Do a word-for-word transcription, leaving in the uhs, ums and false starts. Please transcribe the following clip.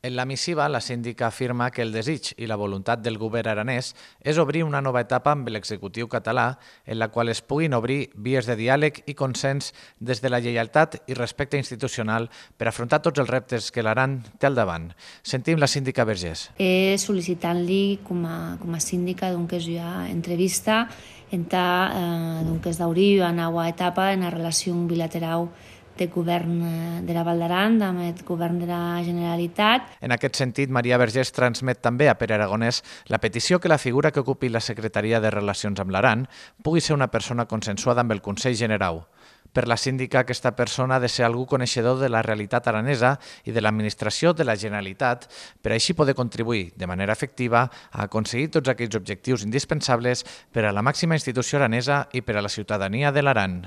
En la missiva, la síndica afirma que el desig i la voluntat del govern aranès és obrir una nova etapa amb l'executiu català en la qual es puguin obrir vies de diàleg i consens des de la lleialtat i respecte institucional per afrontar tots els reptes que l'Aran té al davant. Sentim la síndica Vergés. Eh, sol·licitant-li com a, com a síndica doncs, que ja entrevista entà eh, doncs, d'obrir una nova etapa en la relació bilateral del govern de la Val d'Aran amb el govern de la Generalitat. En aquest sentit, Maria Vergés transmet també a Pere Aragonès la petició que la figura que ocupi la Secretaria de Relacions amb l'Aran pugui ser una persona consensuada amb el Consell Generau. Per la síndica, aquesta persona ha de ser algú coneixedor de la realitat aranesa i de l'administració de la Generalitat per així poder contribuir de manera efectiva a aconseguir tots aquells objectius indispensables per a la màxima institució aranesa i per a la ciutadania de l'Aran.